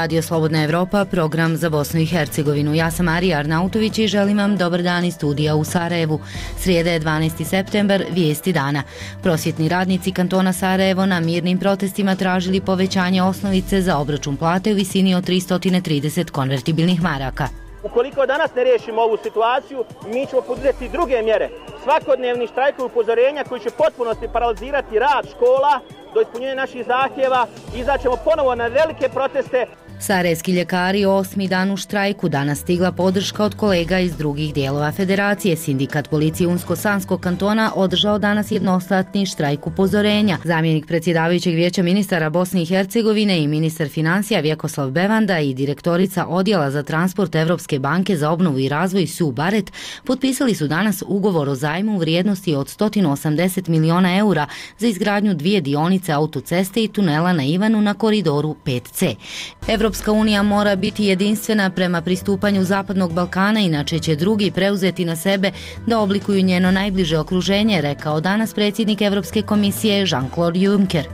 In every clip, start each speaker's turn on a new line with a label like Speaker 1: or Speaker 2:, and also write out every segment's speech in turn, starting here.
Speaker 1: Radio Slobodna Evropa, program za Bosnu i Hercegovinu. Ja sam Arija Arnautović i želim vam dobar dan iz studija u Sarajevu. Srijeda je 12. septembar, vijesti dana. Prosvjetni radnici kantona Sarajevo na mirnim protestima tražili povećanje osnovice za obračun plate u visini od 330 konvertibilnih maraka.
Speaker 2: Ukoliko danas ne riješimo ovu situaciju, mi ćemo poduzeti druge mjere. Svakodnevni štrajkovi upozorenja koji će potpunosti paralizirati rad škola do ispunjenja naših zahtjeva. Izaćemo ponovo na velike proteste.
Speaker 1: Sarajevski ljekari 8. dan u štrajku, danas stigla podrška od kolega iz drugih dijelova federacije. Sindikat policije Unsko-Sanskog kantona održao danas jednostatni štrajk upozorenja. Zamjenik predsjedavajućeg vijeća ministara Bosne i Hercegovine i ministar financija Vjekoslav Bevanda i direktorica odjela za transport Evropske banke za obnovu i razvoj Sue Barrett potpisali su danas ugovor o zajmu u vrijednosti od 180 miliona eura za izgradnju 2 dionice autoceste i tunela na Ivanu na koridoru 5C. Evropska unija mora biti jedinstvena prema pristupanju Zapadnog Balkana, inače će drugi preuzeti na sebe da oblikuju njeno najbliže okruženje, rekao danas predsjednik Evropske komisije Jean-Claude Juncker.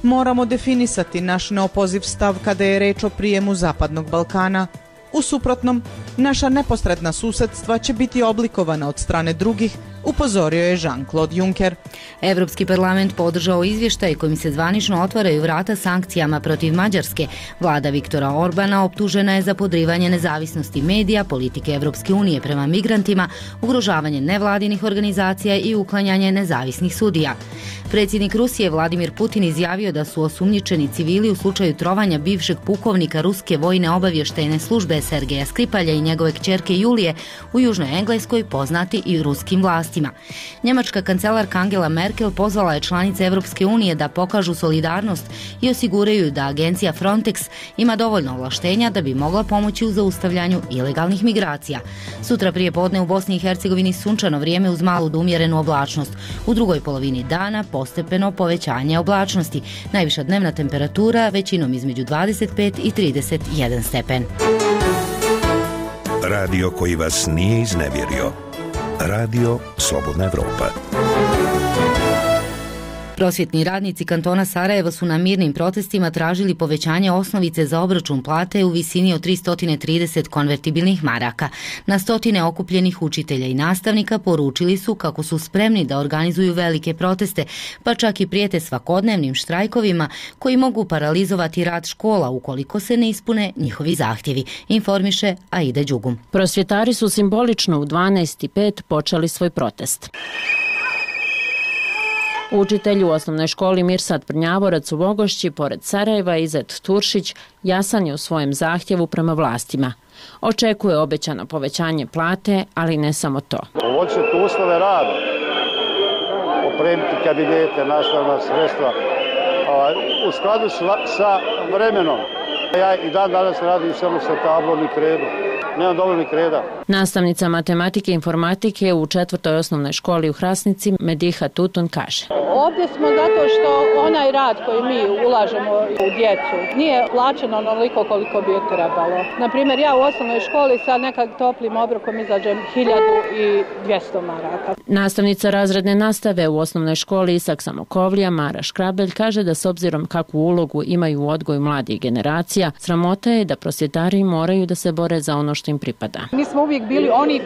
Speaker 3: Moramo definisati naš neopoziv stav kada je reč o prijemu Zapadnog Balkana. U suprotnom, naša neposredna susjedstva će biti oblikovana od strane drugih, upozorio je Jean-Claude Juncker.
Speaker 1: Evropski parlament podržao izvještaj kojim se zvanično otvaraju vrata sankcijama protiv Mađarske. Vlada Viktora Orbana optužena je za podrivanje nezavisnosti medija, politike Evropske unije prema migrantima, ugrožavanje nevladinih organizacija i uklanjanje nezavisnih sudija. Predsjednik Rusije Vladimir Putin izjavio da su osumnjičeni civili u slučaju trovanja bivšeg pukovnika ruske vojne obavještajne službe Sergeja Skripalja i njegove kćerke Julije u Južnoj Engleskoj poznati i ruskim vlastima. Njemačka kancelarka Angela Merkel pozvala je članice Evropske unije da pokažu solidarnost i osiguraju da agencija Frontex ima dovoljno ovlaštenja da bi mogla pomoći u zaustavljanju ilegalnih migracija. Sutra prije podne u Bosni i Hercegovini sunčano vrijeme uz malu do umjerenu oblačnost. U drugoj polovini dana postepeno povećanje oblačnosti. Najviša dnevna temperatura većinom između 25 i 31 stepen.
Speaker 4: Radio koji vas nije iznevjerio. Radio Slobodna Evropa.
Speaker 1: Prosvjetni radnici kantona Sarajevo su na mirnim protestima tražili povećanje osnovice za obračun plate u visini od 330 konvertibilnih maraka. Na stotine okupljenih učitelja i nastavnika poručili su kako su spremni da organizuju velike proteste, pa čak i prijete svakodnevnim štrajkovima koji mogu paralizovati rad škola ukoliko se ne ispune njihovi zahtjevi, informiše Aida Đugum.
Speaker 5: Prosvjetari su simbolično u 12:05 počeli svoj protest. Učitelj u osnovnoj školi Mirsad Prnjavorac u Vogošći, pored Sarajeva, Izet Turšić, jasan je u svojem zahtjevu prema vlastima. Očekuje obećano povećanje plate, ali ne samo to.
Speaker 6: Poboljšati uslove rada, opremiti kabinete, nastavna sredstva, u skladu sa vremenom. Ja i dan danas radim samo sa tablom i kredom. Nemam dovoljno kreda.
Speaker 5: Nastavnica matematike i informatike u 4. osnovnoj školi u Hrasnici Mediha Tutun kaže:
Speaker 7: Ovdje smo zato što onaj rad koji mi ulažemo u djecu nije plaćeno onoliko koliko bi je trebalo. Naprimjer, ja u osnovnoj školi sa nekak toplim obrokom izađem 1200 maraka.
Speaker 5: Nastavnica razredne nastave u osnovnoj školi Isak Samokovlija Mara Škrabelj kaže da s obzirom kakvu ulogu imaju u odgoju mladih generacija, sramota je da prosvjetari moraju da se bore za ono što im pripada.
Speaker 8: Mi smo uvijek bili oni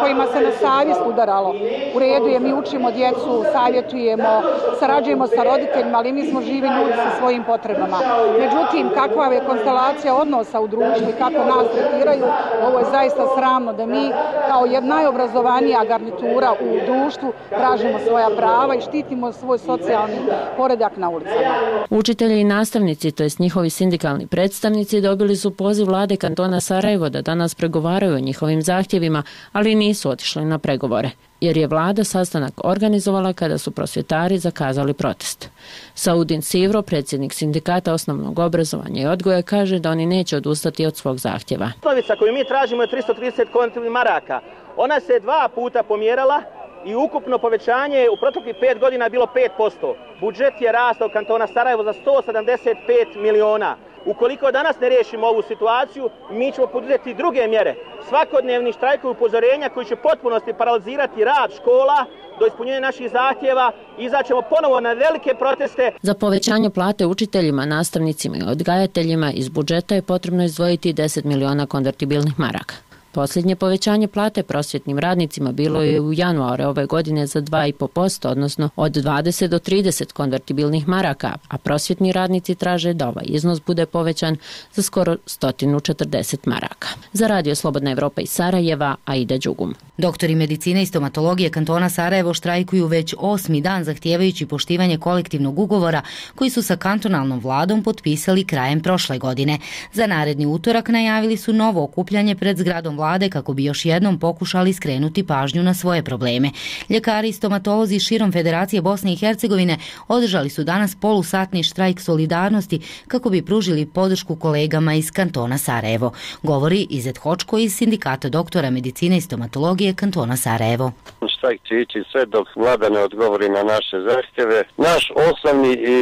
Speaker 8: kojima se na savjest udaralo. U redu je, mi učimo djecu, savjetujemo, sarađujemo sa roditeljima, ali mi smo živi ljudi sa svojim potrebama. Međutim, kakva je konstelacija odnosa u društvu i kako nas tretiraju, ovo je zaista sramno da mi kao jedna najobrazovanija garnitura u društvu tražimo svoja prava i štitimo svoj socijalni poredak na ulicama.
Speaker 5: Učitelji i nastavnici, to jest njihovi sindikalni predstavnici, dobili su poziv vlade kantona Sarajevo da danas pregovaraju o njihovim zahtjevima, ali nisu otišli na pregovore, jer je vlada sastanak organizovala kada su prosvjetari zakazali protest. Saudin Sivro, predsjednik sindikata osnovnog obrazovanja i odgoja, kaže da oni neće odustati od svog zahtjeva.
Speaker 2: Osnovica koju mi tražimo je 330 konvertibilnih maraka. Ona se 2 puta pomjerala i ukupno povećanje u proteklih 5 godina je bilo 5%. Budžet je rastao kantona Sarajevo za 175 miliona. Ukoliko danas ne riješimo ovu situaciju, mi ćemo poduzeti druge mjere. Svakodnevni štrajkovi upozorenja koji će potpunosti paralizirati rad škola do ispunjenja naših zahtjeva, izaćemo ponovo na velike proteste.
Speaker 5: Za povećanje plate učiteljima, nastavnicima i odgajateljima iz budžeta je potrebno izdvojiti 10 miliona konvertibilnih maraka. Posljednje povećanje plate prosvjetnim radnicima bilo je u januaru ove godine za 2,5%, odnosno od 20 do 30 konvertibilnih maraka, a prosvjetni radnici traže da ovaj iznos bude povećan za skoro 140 maraka. Za Radio Slobodna Evropa iz Sarajeva, Aida Đugum.
Speaker 1: Doktori medicine i stomatologije kantona Sarajevo štrajkuju već 8. dan zahtijevajući poštivanje kolektivnog ugovora koji su sa kantonalnom vladom potpisali krajem prošle godine. Za naredni utorak najavili su novo okupljanje pred zgradom vlade kako bi još jednom pokušali skrenuti pažnju na svoje probleme. Ljekari i stomatolozi širom Federacije Bosne i Hercegovine održali su danas polusatni štrajk solidarnosti kako bi pružili podršku kolegama iz kantona Sarajevo. Govori Izet Hočko iz Sindikata doktora medicine i stomatologije kantona Sarajevo.
Speaker 9: Štrajk će ići sve dok vlada ne odgovori na naše zahtjeve. Naš osnovni i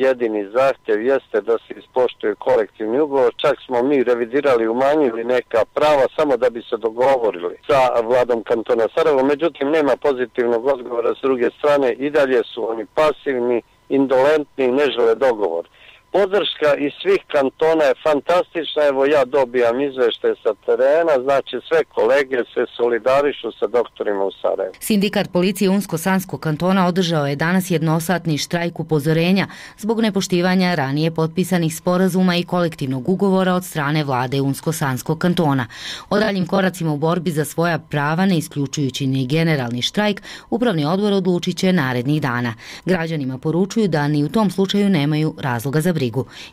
Speaker 9: jedini zahtjev jeste da se ispoštuje kolektivni ugovor. Čak smo mi revidirali, umanjili neka prava samo da bi se dogovorili sa vladom kantona Sarajevo. Međutim, nema pozitivnog odgovora s druge strane. I dalje su oni pasivni, indolentni i ne žele dogovor. Podrška iz svih kantona je fantastična, evo ja dobijam izveštaje sa terena, znači sve kolege se solidarišu sa doktorima u Sarajevu.
Speaker 1: Sindikat policije Unsko-Sanskog kantona održao je danas jednosatni štrajk upozorenja zbog nepoštivanja ranije potpisanih sporazuma i kolektivnog ugovora od strane vlade Unsko-Sanskog kantona. O daljim koracima u borbi za svoja prava, ne isključujući ni generalni štrajk, upravni odbor odlučit će narednih dana. Građanima poručuju da ni u tom slučaju nemaju razloga za brigu.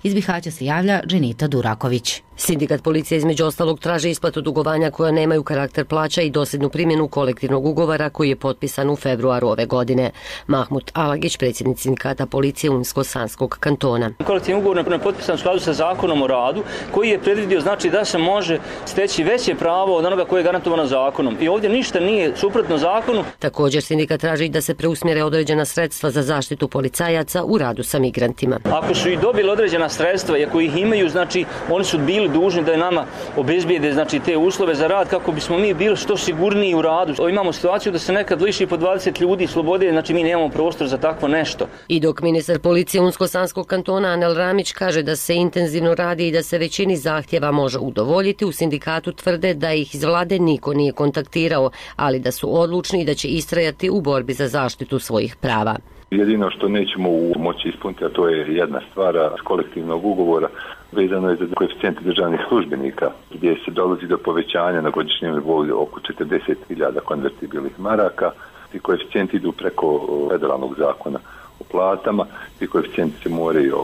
Speaker 1: Iz Bihaća se javlja Dženita Duraković.
Speaker 10: Sindikat policije između ostalog traži isplatu dugovanja koja nemaju karakter plaća i dosljednu primjenu kolektivnog ugovora koji je potpisan u februaru ove godine. Mahmut Alagić, predsjednik sindikata policije Unsko-Sanskog kantona.
Speaker 11: Kolektivni ugovor je potpisan u skladu sa zakonom o radu koji je predvidio znači da se može steći veće pravo od onoga koje je garantovano zakonom. I ovdje ništa nije suprotno zakonu.
Speaker 10: Također sindikat traži da se preusmjere određena sredstva za zaštitu policajaca u radu sa migrantima.
Speaker 11: Ako su i dobili određena sredstva i ako ih imaju, znači oni su bili dužni da je nama obezbijede znači te uslove za rad kako bismo mi bili što sigurniji u radu. Imamo situaciju da se nekad liši po 20 ljudi slobode, znači mi nemamo prostor za takvo nešto.
Speaker 10: I dok ministar policije Unsko-Sanskog kantona Anel Ramić kaže da se intenzivno radi i da se većini zahtjeva može udovoljiti, u sindikatu tvrde da ih iz vlade niko nije kontaktirao, ali da su odlučni i da će istrajati u borbi za zaštitu svojih prava.
Speaker 12: Jedino što nećemo moći ispuniti, a to je jedna stvar kolektivnog ugovora, vezano je za koeficijente državnih službenika, gdje se dolazi do povećanja na godišnjem nivou oko 40.000 konvertibilnih maraka. Ti koeficijenti idu preko federalnog zakona o platama, ti koeficijenti se moraju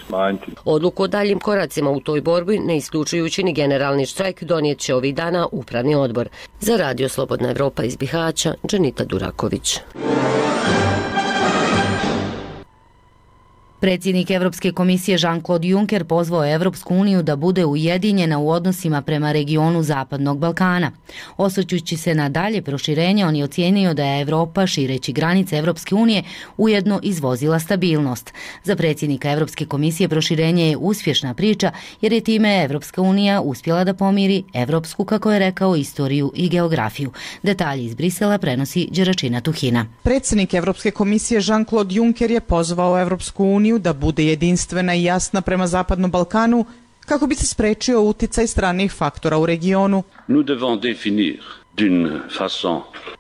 Speaker 12: smanjiti.
Speaker 10: Odluku o daljim koracima u toj borbi, ne isključujući ni generalni štrajk, donijet će ovih dana upravni odbor. Za Radio Slobodna Evropa iz Bihaća, Dženita Duraković.
Speaker 1: Predsjednik Evropske komisije Jean-Claude Juncker pozvao je Evropsku uniju da bude ujedinjena u odnosima prema regionu Zapadnog Balkana. Osvrćući se na dalje proširenje, on je ocijenio da je Evropa, šireći granice Evropske unije, ujedno izvozila stabilnost. Za predsjednika Evropske komisije proširenje je uspješna priča jer je time Evropska unija uspjela da pomiri evropsku, kako je rekao, istoriju i geografiju. Detalji iz Brisela prenosi Đeračina Tuhina.
Speaker 3: Predsjednik Evropske komisije Jean-Claude Juncker je pozvao Evropsku uniju da bude jedinstvena i jasna prema Zapadnom Balkanu kako bi se sprečio uticaj stranih faktora u regionu.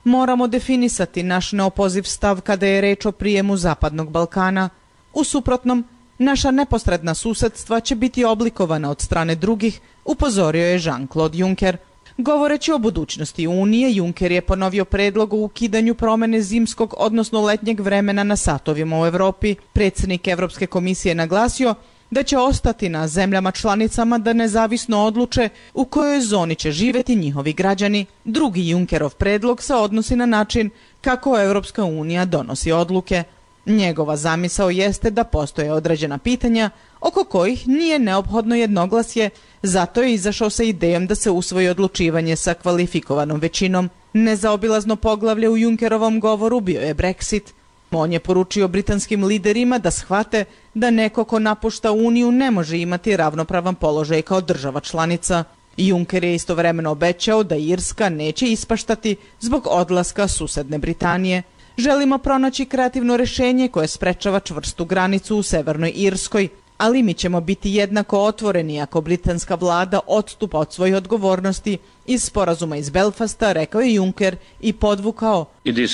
Speaker 3: Moramo definisati naš neopoziv stav kada je reč o prijemu Zapadnog Balkana. U suprotnom, naša neposredna susedstva će biti oblikovana od strane drugih, upozorio je Jean-Claude Juncker. Govoreći o budućnosti Unije, Juncker je ponovio predlog o ukidanju promjene zimskog, odnosno letnjeg vremena na satovima u Evropi. Predsjednik Evropske komisije naglasio da će ostati na zemljama članicama da nezavisno odluče u kojoj zoni će živjeti njihovi građani. Drugi Junckerov predlog se odnosi na način kako Evropska unija donosi odluke. Njegova zamisao jeste da postoje određena pitanja oko kojih nije neophodno jednoglasje, zato je izašao sa idejom da se usvoji odlučivanje sa kvalifikovanom većinom. Nezaobilazno poglavlje u Junckerovom govoru bio je Brexit. On je poručio britanskim liderima da shvate da neko ko napušta Uniju ne može imati ravnopravan položaj kao država članica. Juncker je istovremeno obećao da Irska neće ispaštati zbog odlaska susedne Britanije. Želimo pronaći kreativno rješenje koje sprečava čvrstu granicu u Severnoj Irskoj, ali mi ćemo biti jednako otvoreni ako britanska vlada odstupa od svojih odgovornosti iz sporazuma iz Belfasta, rekao je Juncker i podvukao.
Speaker 13: It is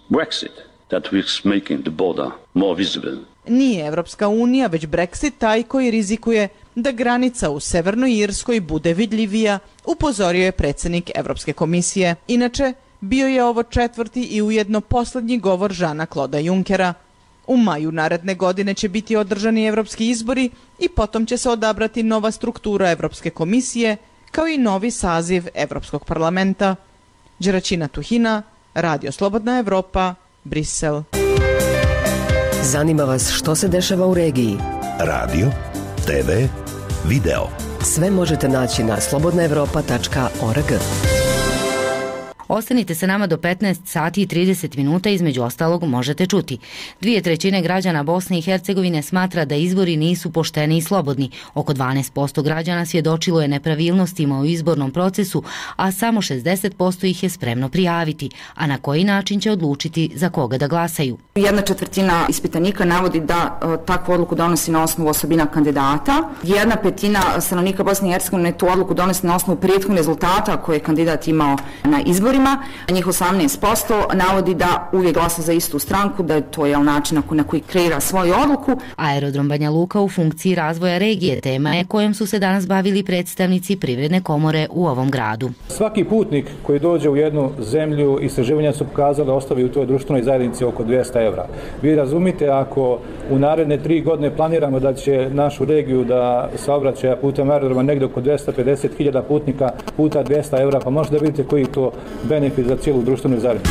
Speaker 13: Brexit that is making the border more visible.
Speaker 3: Nije Evropska unija, već Brexit taj koji rizikuje da granica u Severnoj Irskoj bude vidljivija, upozorio je predsjednik Evropske komisije. Inače, bio je ovo četvrti i ujedno posljednji govor Žana Kloda Junckera. U maju naredne godine će biti održani evropski izbori i potom će se odabrati nova struktura Evropske komisije, kao i novi saziv Evropskog parlamenta. Đeračina Tuhina, Radio Slobodna Evropa, Brisel.
Speaker 14: Zanima vas što se dešava u regiji?
Speaker 4: Radio, TV, video.
Speaker 14: Sve možete naći na slobodnaevropa.org.
Speaker 1: Ostanite sa nama do 15 sati i 30 minuta, između ostalog možete čuti. 2/3 građana Bosne i Hercegovine smatra da izbori nisu pošteni i slobodni. Oko 12% građana svjedočilo je nepravilnostima u izbornom procesu, a samo 60% ih je spremno prijaviti. A na koji način će odlučiti za koga da glasaju?
Speaker 15: 1/4 ispitanika navodi da takvu odluku donosi na osnovu osobina kandidata. 1/5 stanovnika Bosne i Hercegovine tu odluku donosi na osnovu prethodnih rezultata koje je kandidat imao na izborima. Njih 18% navodi da uvijek glasa za istu stranku, da je to način na koji kreira svoju odluku.
Speaker 1: Aerodrom Banja Luka u funkciji razvoja regije tema je kojom su se danas bavili predstavnici Privredne komore u ovom gradu.
Speaker 16: Svaki putnik koji dođe u jednu zemlju, istraživanja su pokazali, ostavi u toj društvenoj zajednici oko 200 evra. Vi razumite, ako u naredne 3 godine planiramo da će našu regiju da saobraćaja putem aerodroma negdje oko 250.000 putnika puta 200 evra, pa možete da vidite koji to benefit za cijelu društvenu zajednicu.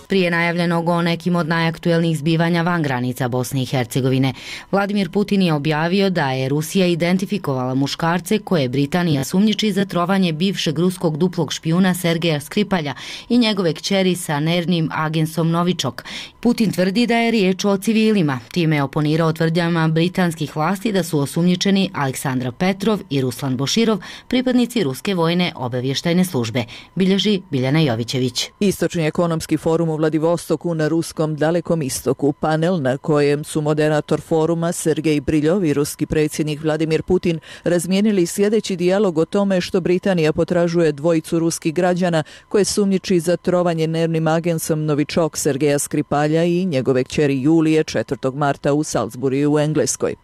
Speaker 1: Prije najavljenog o nekim od najaktuelnijih zbivanja van granica Bosne i Hercegovine, Vladimir Putin je objavio da je Rusija identifikovala muškarce koje Britanija sumnjiči za trovanje bivšeg ruskog duplog špijuna Sergeja Skripalja i njegove kćeri sa nervnim agensom Novičok. Putin tvrdi da je riječ o civilima, time je oponirao tvrdnjama britanskih vlasti da su osumnjičeni Aleksandar Petrov i Ruslan Boširov, pripadnici ruske vojne obavještajne službe, bilježi Biljana Jovićević.
Speaker 17: Istočni ekonomski forum u Vladivostoku na ruskom Dalekom istoku, panel na kojem su moderator foruma Sergej Briljov i ruski predsjednik Vladimir Putin razmijenili sljedeći dijalog o tome što Britanija potražuje dvojicu ruskih građana koje sumnjiči za trovanje nervnim agensom Novičok Sergeja Skripalja i njegove kćeri Julije 4. marta u Salisburiju u Engleskoj.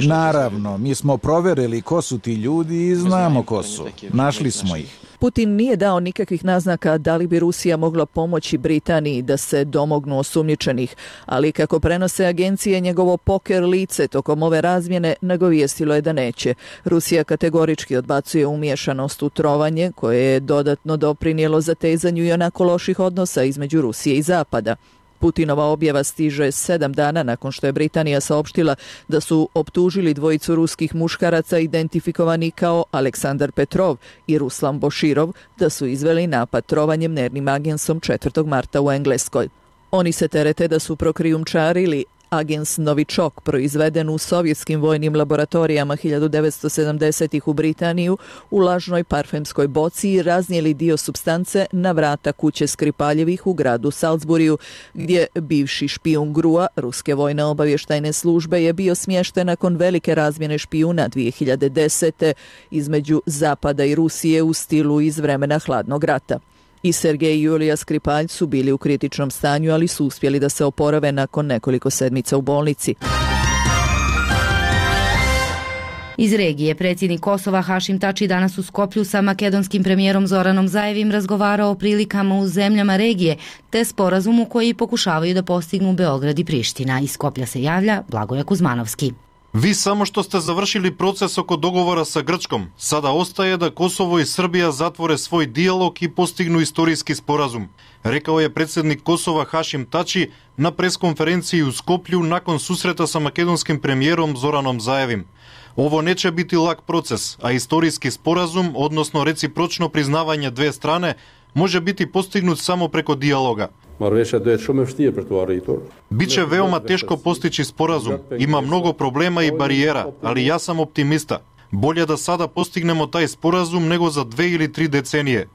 Speaker 18: Naravno, mi smo proverili ko su ti ljudi i znamo ko su. Našli smo ih.
Speaker 17: Putin nije dao nikakvih naznaka da li bi Rusija mogla pomoći Britaniji da se domognu osumnjičenih, ali kako prenose agencije, njegovo poker lice tokom ove razmjene nagovijestilo je da neće. Rusija kategorički odbacuje umiješanost u trovanje, koje je dodatno doprinijelo zatezanju i onako loših odnosa između Rusije i Zapada. Putinova objava stiže 7 dana nakon što je Britanija saopštila da su optužili dvojicu ruskih muškaraca identifikovani kao Aleksandar Petrov i Ruslan Boširov da su izveli napad trovanjem nervnim agensom 4. marta u Engleskoj. Oni se terete da su prokrijumčarili agens Novičok, proizveden u sovjetskim vojnim laboratorijama 1970-ih u Britaniju, u lažnoj parfemskoj boci i raznijeli dio supstance na vrata kuće Skripaljevih u gradu Salisburiju, gdje bivši špijun GRU-a, ruske vojne obavještajne službe, je bio smješten nakon velike razmjene špijuna 2010. između Zapada i Rusije u stilu iz vremena hladnog rata. I Sergej i Julija Skripalj su bili u kritičnom stanju, ali su uspjeli da se oporave nakon nekoliko sedmica u bolnici.
Speaker 1: Iz regije predsjednik Kosova Hašim Tači danas u Skoplju sa makedonskim premijerom Zoranom Zajevim razgovarao o prilikama u zemljama regije te sporazumu koji pokušavaju da postignu Beograd i Priština. Iz Skoplja se javlja Blagoja Kuzmanovski.
Speaker 19: Vi samo što ste završili proces oko dogovora sa Grčkom. Sada ostaje da Kosovo i Srbija zatvore svoj dijalog i postignu istorijski sporazum, rekao je predsjednik Kosova Hašim Tači na preskonferenciji u Skoplju nakon susreta sa makedonskim premijerom Zoranom Zajevim. Ovo neće biti lak proces, a istorijski sporazum, odnosno recipročno priznavanje dve strane, može biti postignut samo preko dijaloga. Biće veoma teško postići sporazum, ima mnogo problema i barijera, ali ja sam optimista. Bolje da sada postignemo taj sporazum nego za 2 ili 3 decenije.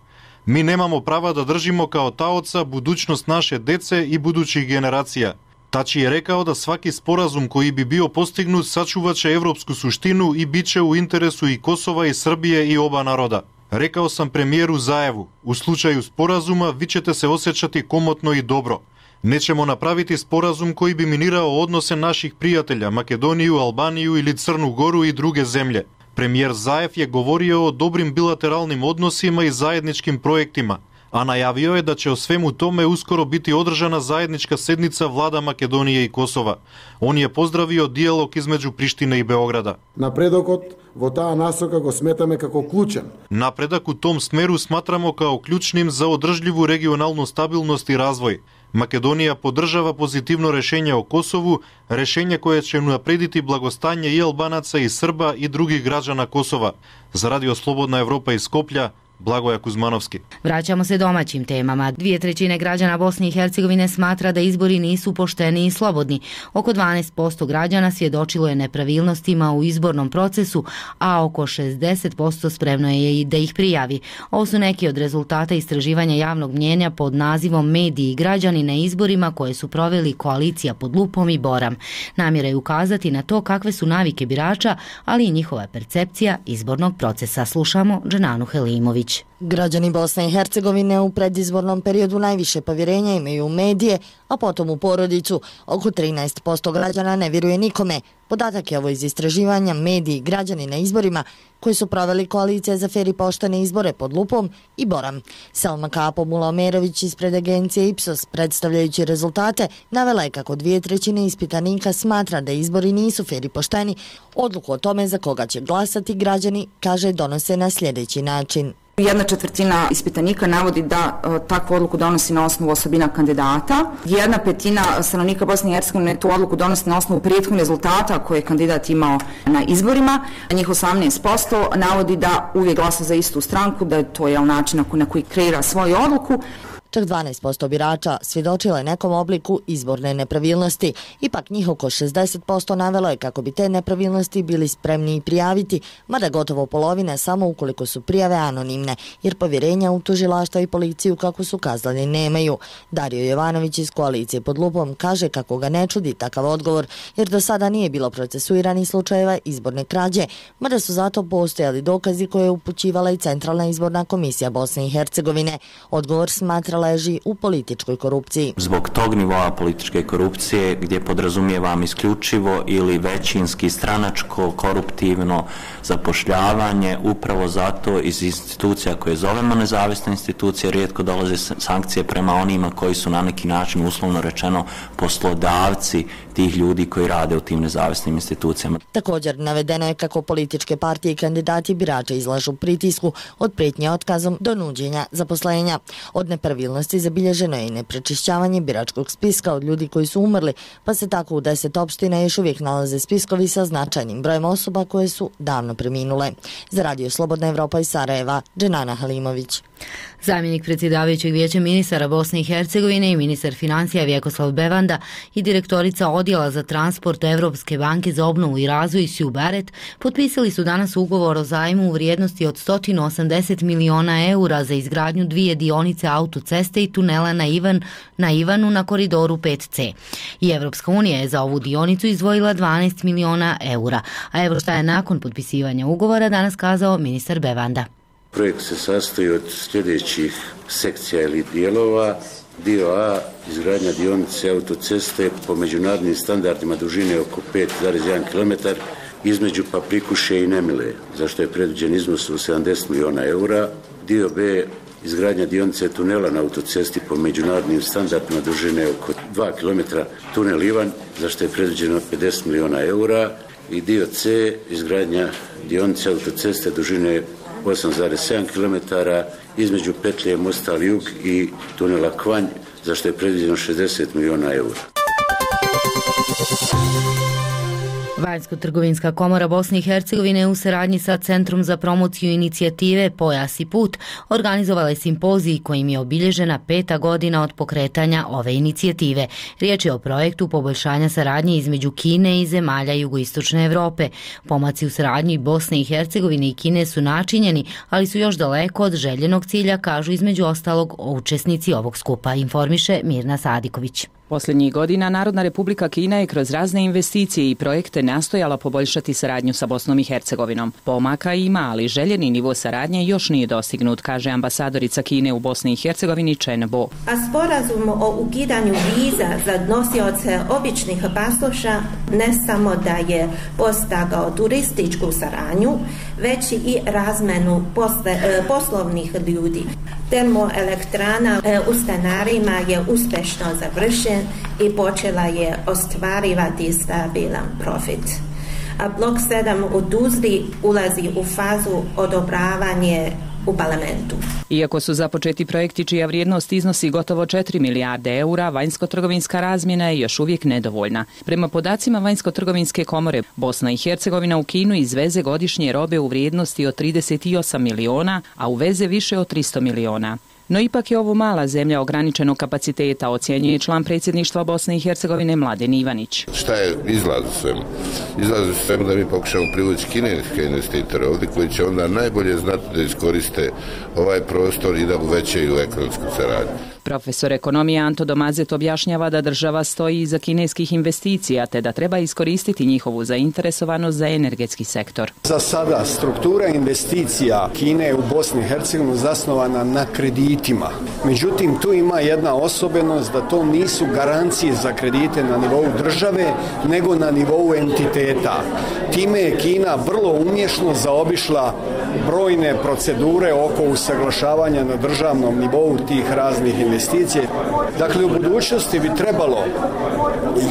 Speaker 19: Mi nemamo prava da držimo kao taoca budućnost naše dece i budućih generacija. Tači je rekao da svaki sporazum koji bi bio postignut sačuvaće evropsku suštinu i bit će u interesu i Kosova i Srbije i oba naroda. Rekao sam premijeru Zajevu, u slučaju sporazuma vi ćete se osjećati komotno i dobro. Nećemo napraviti sporazum koji bi minirao odnose naših prijatelja, Makedoniju, Albaniju ili Crnu Goru i druge zemlje. Premijer Zajev je govorio o dobrim bilateralnim odnosima i zajedničkim projektima, a najavio je da će o svemu tome uskoro biti održana zajednička sednica vlada Makedonije i Kosova. On je pozdravio dijalog između Prištine i Beograda. Napredak u tom smeru smatramo kao ključnim za održljivu regionalnu stabilnost i razvoj. Makedonija podržava pozitivno rešenje o Kosovu, rešenje koje će unaprediti blagostanje i Albanaca i Srba i drugih građana Kosova. Za Radio Slobodna Evropa iz Skoplja, Blagoja Kuzmanovski.
Speaker 1: Vraćamo se domaćim temama. 2/3 građana Bosne i Hercegovine smatra da izbori nisu pošteni i slobodni. Oko 12% građana svjedočilo je nepravilnostima u izbornom procesu, a oko 60% spremno je i da ih prijavi. Ovo su neki od rezultata istraživanja javnog mnjenja pod nazivom Mediji i građani na izborima koje su proveli Koalicija pod lupom i Boram. Namjera je ukazati na to kakve su navike birača, ali i njihova percepcija izbornog procesa. Slušamo Dženanu Helimović.
Speaker 20: Građani Bosne i Hercegovine u predizbornom periodu najviše povjerenja imaju u medije, a potom u porodicu. Oko 13% građana ne vjeruje nikome. Podatak je ovo iz istraživanja Mediji i građani na izborima koji su proveli Koalicija za fer i poštene izbore pod lupom i Boram. Selma Kapo Mulomerović ispred agencije Ipsos, predstavljajući rezultate, navela je kako 2/3 ispitanika smatra da izbori nisu fer i pošteni. Odluku o tome za koga će glasati građani, kaže, donose na sljedeći način.
Speaker 15: 1/4 ispitanika navodi da takvu odluku donosi na osnovu osobina kandidata. 1/5 stanovnika Bosne i Hercegovine tu odluku donosi na osnovu prethodnih rezultata koje je kandidat imao na izborima. Njih 18% navodi da uvijek glasa za istu stranku, da je to način na koji kreira svoju odluku.
Speaker 20: Čak 12% birača svjedočilo je nekom obliku izborne nepravilnosti. Ipak njih oko 60% navelo je kako bi te nepravilnosti bili spremni i prijaviti, mada gotovo polovina samo ukoliko su prijave anonimne, jer povjerenja u tužilaštvo i policiju, kako su kazali, nemaju. Dario Jovanović iz Koalicije pod lupom kaže kako ga ne čudi takav odgovor, jer do sada nije bilo procesuiranih slučajeva izborne krađe, mada su zato postojali dokazi koje je upućivala i Centralna izborna komisija Bosne i Hercegovine. Odgovor smatra leži u političkoj korupciji.
Speaker 21: Zbog tog nivoa političke korupcije, gdje podrazumijevam isključivo ili većinski stranačko koruptivno zapošljavanje, upravo zato iz institucija koje zovemo nezavisne institucije rijetko dolaze sankcije prema onima koji su na neki način, uslovno rečeno, poslodavci tih ljudi koji rade u tim nezavisnim institucijama.
Speaker 20: Također navedeno je kako političke partije i kandidati birača izlažu pritisku od prijetnje otkazom do nuđenja zaposlenja. Od nepravilnosti zabilježeno je i neprečišćavanje biračkog spiska od ljudi koji su umrli, pa se tako u 10 opština još uvijek nalaze spiskovi sa značajnim brojem osoba koje su davno preminule. Za Radio Slobodna Evropa iz Sarajeva, Dženana Halimović.
Speaker 1: Zamjenik predsjedavajućeg vijeća ministara Bosne i Hercegovine i ministar financija Vjekoslav Bevanda i direktorica odjela za transport Evropske banke za obnovu i razvoj Sju Baret potpisali su danas ugovor o zajmu u vrijednosti od 180 miliona eura za izgradnju 2 dionice autoceste i tunela na Ivanu na koridoru 5C. I Evropska unija je za ovu dionicu izdvojila 12 miliona eura. A evo šta je nakon potpisivanja ugovora danas kazao ministar Bevanda.
Speaker 22: Projekt se sastoji od sljedećih sekcija ili dijelova. Dio A, izgradnja dionice autoceste po međunarodnim standardima dužine oko 5,1 km između Paprikuše i Nemile, za što je predviđen iznos od 70 miliona eura. Dio B, izgradnja dionice tunela na autocesti po međunarodnim standardima dužine oko 2 km tunel Ivan, za što je predviđeno 50 miliona eura. I dio C, izgradnja dionice autoceste dužine 8,7 km između petlje Mostar Jug i tunela Kvanj, za što je predviđeno 60 miliona eura.
Speaker 1: Vanjsko-trgovinska komora Bosne i Hercegovine u saradnji sa Centrom za promociju inicijative Pojas i put organizovala je simpozij kojim je obilježena 5. godina od pokretanja ove inicijative. Riječ je o projektu poboljšanja saradnje između Kine i zemalja jugoistočne Evrope. Pomaci u saradnji Bosne i Hercegovine i Kine su načinjeni, ali su još daleko od željenog cilja, kažu između ostalog učesnici ovog skupa, informiše Mirna Sadiković.
Speaker 6: Posljednjih godina Narodna Republika Kina je kroz razne investicije i projekte nastojala poboljšati saradnju sa Bosnom i Hercegovinom. Pomaka ima, ali željeni nivo saradnje još nije dostignut, kaže ambasadorica Kine u Bosni i Hercegovini Chen Bo.
Speaker 7: A sporazum o ukidanju viza za nosioce običnih pasoša ne samo da je postigao turističku saradnju, već i razmenu poslovnih ljudi. Termoelektrana u Stanarima je uspješno završen i počela je ostvarivati stabilan profit. A blok 7 u Tuzli ulazi u fazu odobravanje u parlamentu.
Speaker 6: Iako su započeti projekti čija vrijednost iznosi gotovo 4 milijarde eura, vanjsko-trgovinska razmjena je još uvijek nedovoljna. Prema podacima Vanjsko-trgovinske komore, Bosna i Hercegovina u Kinu izveze godišnje robe u vrijednosti od 38 miliona, a uveze više od 300 miliona. No ipak je ovo mala zemlja ograničenog kapaciteta, ocjenjuje član predsjedništva Bosne i Hercegovine Mladen Ivanić.
Speaker 23: Šta je izlaz u svemu? Izlaz u svemu da mi pokušamo privući kineske investitore ovdje koji će onda najbolje znati da iskoriste ovaj prostor i da uvećaju ekonomsku saradnju.
Speaker 6: Profesor ekonomije Anto Domazet objašnjava da država stoji iza kineskih investicija te da treba iskoristiti njihovu zainteresovanost za energetski sektor.
Speaker 24: Za sada struktura investicija Kine u Bosni i Hercegovini zasnovana na kreditima. Međutim, tu ima jedna osobenost da to nisu garancije za kredite na nivou države, nego na nivou entiteta. Time je Kina vrlo umješno zaobišla brojne procedure oko usaglašavanja na državnom nivou tih raznih investicija. Dakle, u budućnosti bi trebalo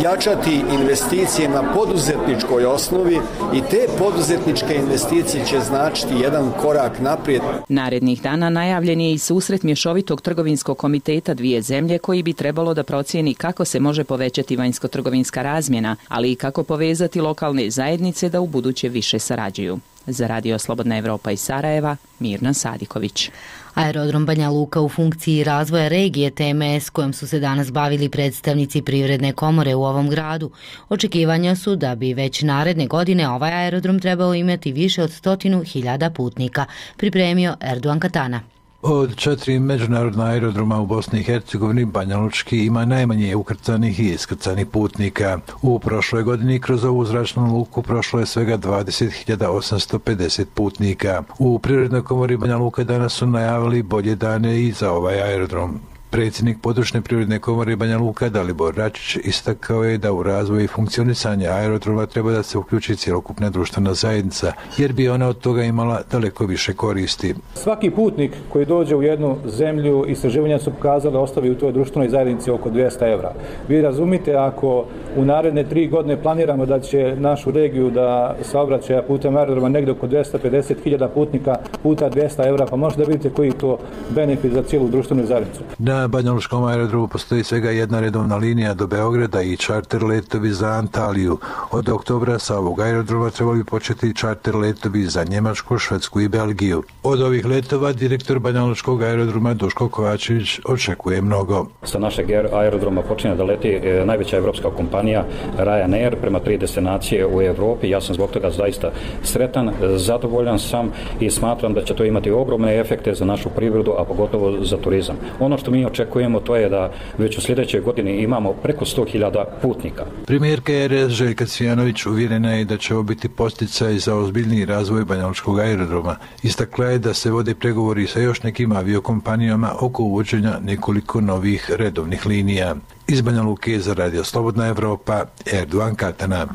Speaker 24: jačati investicije na poduzetničkoj osnovi i te poduzetničke investicije će značiti jedan korak naprijed.
Speaker 6: Narednih dana najavljen je i susret mješovitog trgovinskog komiteta dvije zemlje koji bi trebalo da procijeni kako se može povećati vanjsko-trgovinska razmjena, ali i kako povezati lokalne zajednice da u buduće više sarađuju. Za Radio Slobodna Evropa iz Sarajeva, Mirna Sadiković.
Speaker 1: Aerodrom Banja Luka u funkciji razvoja regije TMS kojom su se danas bavili predstavnici Privredne komore u ovom gradu. Očekivanja su da bi već naredne godine ovaj aerodrom trebao imati više od 100.000 putnika, pripremio Erdogan Katana.
Speaker 25: Od 4 međunarodna aerodroma u Bosni i Hercegovini, Banja Lučki ima najmanje ukrcanih i iskrcanih putnika. U prošloj godini kroz ovu zračnu luku prošlo je svega 20.850 putnika. U Privrednoj komori Banja Luka danas su najavili bolje dane i za ovaj aerodrom. Predsjednik područne Privredne komore Banja Luka Dalibor Račić istakao je da u razvoju i funkcionisanje aerodroma treba da se uključi cjelokupna društvena zajednica, jer bi ona od toga imala daleko više koristi.
Speaker 16: Svaki putnik koji dođe u jednu zemlju, istraživanja su pokazali ostavi u toj društvenoj zajednici oko 200 evra. Vi razumite, ako u naredne 3 godine planiramo da će našu regiju da saobraćaja putem aerodroma negdje oko 250.000 putnika puta 200 evra, pa možete da vidite koji je to benefit za cijelu društvenu zajednicu.
Speaker 25: Na Banja Lučkom aerodromu postoji svega jedna redovna linija do Beograda i čarter letovi za Antaliju. Od oktobra sa ovog aerodroma trebali početi čarter letovi za Njemačku, Švedsku i Belgiju. Od ovih letova direktor Banja Lučkog aerodroma Duško Kovačević očekuje mnogo.
Speaker 26: Sa našeg aerodroma počinje da leti najveća evropska kompanija Ryanair prema 3 destinacije u Evropi. Ja sam zbog toga zaista sretan, zadovoljan sam i smatram da će to imati ogromne efekte za našu privredu, a pogotovo za turizam. Ono što mi očekujemo to je da već u sljedećoj godini imamo preko 100.000 putnika.
Speaker 25: Premijerka RS Željka Cvijanović uvjerena je da će ovo biti posticaj za ozbiljniji razvoj Banja Lučkog aerodroma. Istakla je da se vode pregovori sa još nekim aviokompanijama oko uvođenja nekoliko novih redovnih linija. Iz Banja Luke za Radio Slobodna Evropa, Erdogan Katana.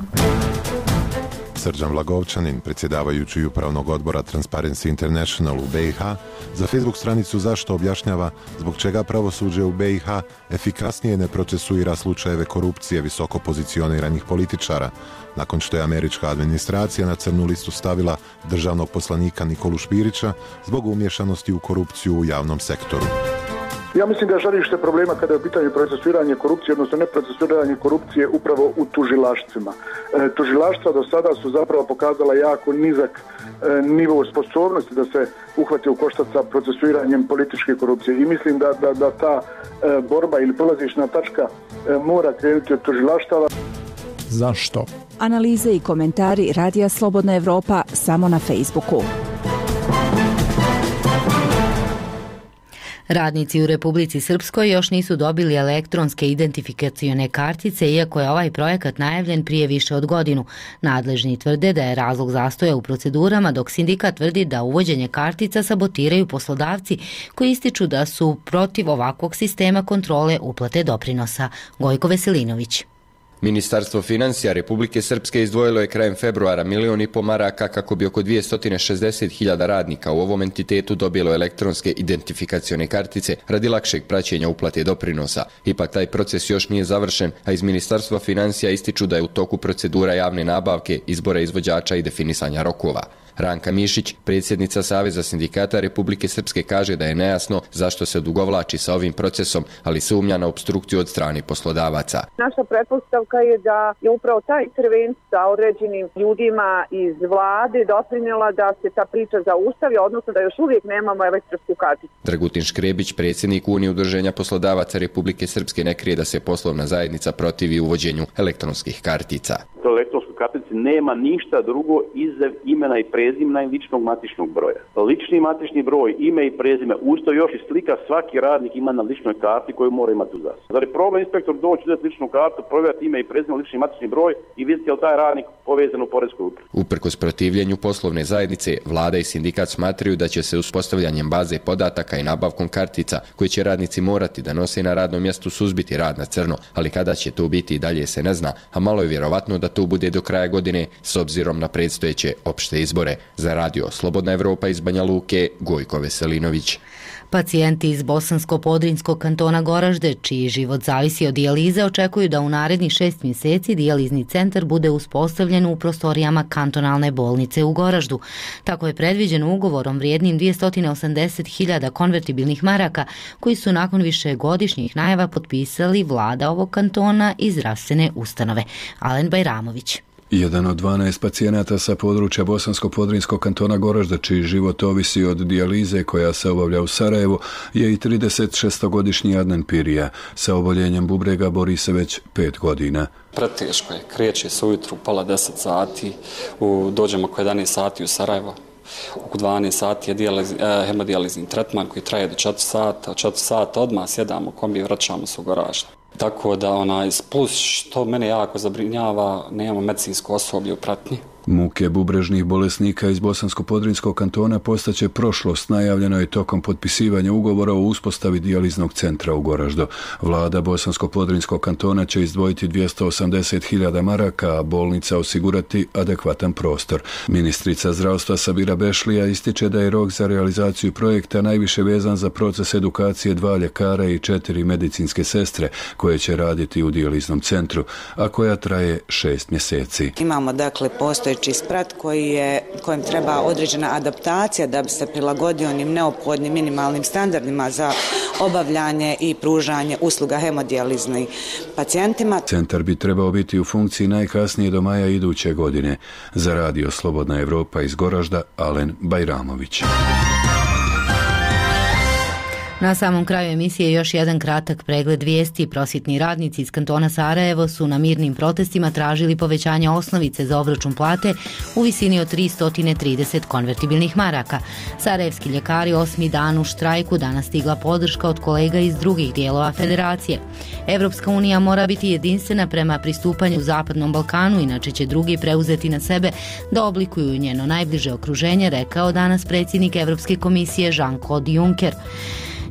Speaker 27: Srđan Vlagovčanin, predsjedavajući upravnog odbora Transparency International u BiH, za Facebook stranicu Zašto objašnjava zbog čega pravosuđe u BiH efikasnije ne procesuira slučajeve korupcije visoko pozicioniranih političara, nakon što je američka administracija na crnu listu stavila državnog poslanika Nikolu Špirića zbog umješanosti u korupciju u javnom sektoru.
Speaker 2: Ja mislim da je žarište problema kada je u pitanju procesuiranje korupcije, odnosno ne procesuiranje korupcije upravo u tužilaštvima. Tužilaštva do sada su zapravo pokazala jako nizak nivo sposobnosti da se uhvati u koštac sa procesuiranjem političke korupcije i mislim da ta borba ili polazišna tačka mora krenuti od tužilaštava.
Speaker 5: Zašto?
Speaker 8: Analize i komentari Radija Slobodna Evropa samo na Facebooku.
Speaker 1: Radnici u Republici Srpskoj još nisu dobili elektronske identifikacione kartice, iako je ovaj projekat najavljen prije više od godinu. Nadležni tvrde da je razlog zastoja u procedurama, dok sindikat tvrdi da uvođenje kartica sabotiraju poslodavci koji ističu da su protiv ovakvog sistema kontrole uplate doprinosa. Gojko Veselinović.
Speaker 9: Ministarstvo financija Republike Srpske izdvojilo je krajem februara 1,5 miliona maraka kako bi oko 260.000 radnika u ovom entitetu dobilo elektronske identifikacione kartice radi lakšeg praćenja uplate doprinosa. Ipak taj proces još nije završen, a iz Ministarstva financija ističu da je u toku procedura javne nabavke, izbora izvođača i definisanja rokova. Ranka Mišić, predsjednica Saveza sindikata Republike Srpske, kaže da je nejasno zašto se odugovlači sa ovim procesom, ali sumnja na opstrukciju od strane poslodavaca.
Speaker 10: Naša pretpostavka je da je upravo ta intervencija sa određenim ljudima iz vlade doprinjela da se ta priča zaustavi, odnosno da još uvijek nemamo elektronsku karticu.
Speaker 9: Dragutin Škrebić, predsjednik Unije udruženja poslodavaca Republike Srpske, ne krije da se poslovna zajednica protivi uvođenju elektronskih kartica.
Speaker 11: Elektronskoj kartici nema ništa drugo izuzev imena i prezimena i ličnog matičnog broja. Lični matični broj, ime i prezime, usto još i slika svaki radnik ima na ličnoj karti koju mora imati uz nas. Zar je problem inspektor doći uzeti ličnu kartu, provjeriti ime i prezime, lični matični broj i vidjeti je li taj radnik povezan u poreskoj upravi.
Speaker 9: Uprkos protivljenju poslovne zajednice, vlada i sindikat smatraju da će se uspostavljanjem baze podataka i nabavkom kartica koje će radnici morati da nose na radnom mjestu suzbiti rad na crno, ali kada će to biti i dalje se ne zna, a malo je vjerovatno da to bude do kraja godine s obzirom na predstojeće opšte izbore. Za Radio Slobodna Evropa iz Banja Luke, Gojko Veselinović.
Speaker 1: Pacijenti iz Bosansko-Podrinjskog kantona Goražde, čiji život zavisi od dijalize, očekuju da u narednih 6 mjeseci dijalizni centar bude uspostavljen u prostorijama kantonalne bolnice u Goraždu. Tako je predviđeno ugovorom vrijednim 280.000 konvertibilnih maraka, koji su nakon višegodišnjih najava potpisali vlada ovog kantona i zdravstvene ustanove. Alen Bajramović.
Speaker 12: Jedan od 12 pacijenata sa područja Bosansko-Podrinjskog kantona Goražda, čiji život ovisi od dijalize koja se obavlja u Sarajevu, je i 36-godišnji Adnan Pirija. Sa oboljenjem bubrega bori se već 5 godina.
Speaker 28: Preteško je, kreće se ujutru pola 10 sati, dođemo oko 11 sati u Sarajevo. Oko 12 sati je hemodijalizni tretman koji traje do 4 sata. 4 sata odmah sjedamo kombi i vraćamo se u Goražde. Tako da plus što mene jako zabrinjava, nemamo medicinsko osoblje u pratnji.
Speaker 12: Muke bubrežnih bolesnika iz Bosansko-Podrinjskog kantona postaće prošlost, najavljeno je tokom potpisivanja ugovora o uspostavi dijaliznog centra u Goraždu. Vlada Bosansko-Podrinjskog kantona će izdvojiti 280.000 maraka, a bolnica osigurati adekvatan prostor. Ministrica zdravstva Sabira Bešlija ističe da je rok za realizaciju projekta najviše vezan za proces edukacije 2 ljekara i 4 medicinske sestre koje će raditi u dijaliznom centru, a koja traje 6 mjeseci.
Speaker 29: Imamo postojeći sprat kojem treba određena adaptacija da bi se prilagodio onim neophodnim minimalnim standardima za obavljanje i pružanje usluga hemodijaliznih pacijentima.
Speaker 12: Centar bi trebao biti u funkciji najkasnije do maja iduće godine. Za Radio Slobodna Evropa iz Goražda, Alen Bajramović.
Speaker 1: Na samom kraju emisije još jedan kratak pregled vijesti. Prosvjetni radnici iz kantona Sarajevo su na mirnim protestima tražili povećanje osnovice za obračun plate u visini od 330 konvertibilnih maraka. Sarajevski ljekari 8. dan u štrajku, danas stigla podrška od kolega iz drugih dijelova federacije. Evropska unija mora biti jedinstvena prema pristupanju Zapadnom Balkanu, inače će drugi preuzeti na sebe da oblikuju njeno najbliže okruženje, rekao danas predsjednik Evropske komisije Jean-Claude Juncker.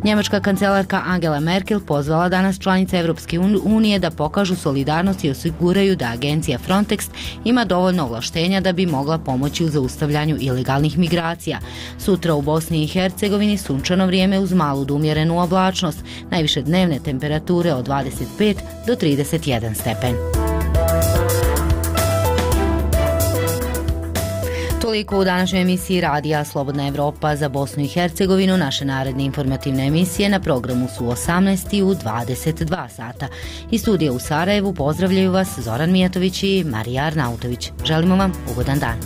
Speaker 1: Njemačka kancelarka Angela Merkel pozvala danas članice Evropske unije da pokažu solidarnost i osiguraju da agencija Frontex ima dovoljno ovlaštenja da bi mogla pomoći u zaustavljanju ilegalnih migracija. Sutra u Bosni i Hercegovini sunčano vrijeme uz malu do umjerenu oblačnost, najviše dnevne temperature od 25 do 31 stepen. Toliko u današnjoj emisiji Radija Slobodna Evropa za Bosnu i Hercegovinu. Naše naredne informativne emisije na programu su 18 i u 22 sata. Iz studija u Sarajevu pozdravljaju vas Zoran Mijatović i Marija Arnautović. Želimo vam ugodan dan.